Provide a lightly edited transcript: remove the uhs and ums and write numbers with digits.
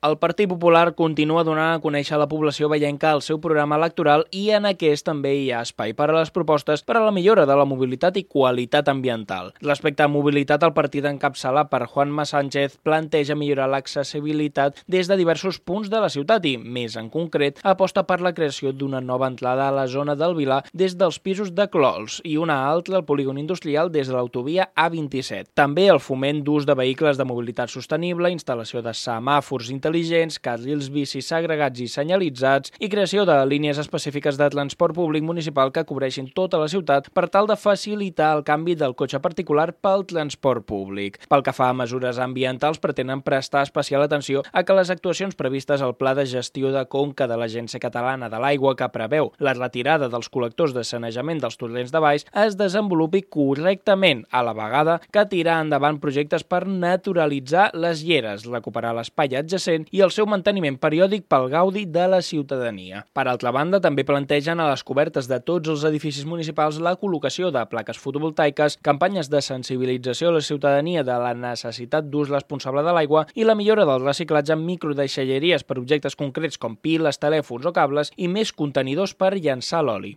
El Partit Popular continua donant a conèixer a la població veienca el seu programa electoral i en aquest també hi ha espai per a les propostes per a la millora de la mobilitat i qualitat ambiental. Respecte a mobilitat, el partit encapçalat per Juanma Sánchez planteja millorar l'accessibilitat des de diversos punts de la ciutat i, més en concret, aposta per la creació d'una nova entrada a la zona del Vilar des dels pisos de Clols i una altra al polígon industrial des de l'autovia A27. També el foment d'ús de vehicles de mobilitat sostenible, instal·lació de semàfors intel·ligents, carrils bicis segregats i senyalitzats i creació de línies específiques de transport públic municipal que cobreixin tota la ciutat per tal de facilitar el canvi del cotxe particular pel transport públic. Pel que fa a mesures ambientals, pretenen prestar especial atenció a que les actuacions previstes al Pla de Gestió de Conca de l'Agència Catalana de l'Aigua, que preveu la retirada dels col·lectors de sanejament dels torrents de baix, es desenvolupi correctament, a la vegada que tirar endavant projectes per naturalitzar les lleres, recuperar l'espai adjacent i el seu manteniment periòdic pel gaudi de la ciutadania. Per altra banda, també plantegen a les cobertes de tots els edificis municipals la col·locació de plaques fotovoltaiques, campanyes de sensibilització a la ciutadania de la necessitat d'ús responsable de l'aigua i la millora del reciclatge en microdeixalleries per objectes concrets com piles, telèfons o cables i més contenidors per llençar l'oli.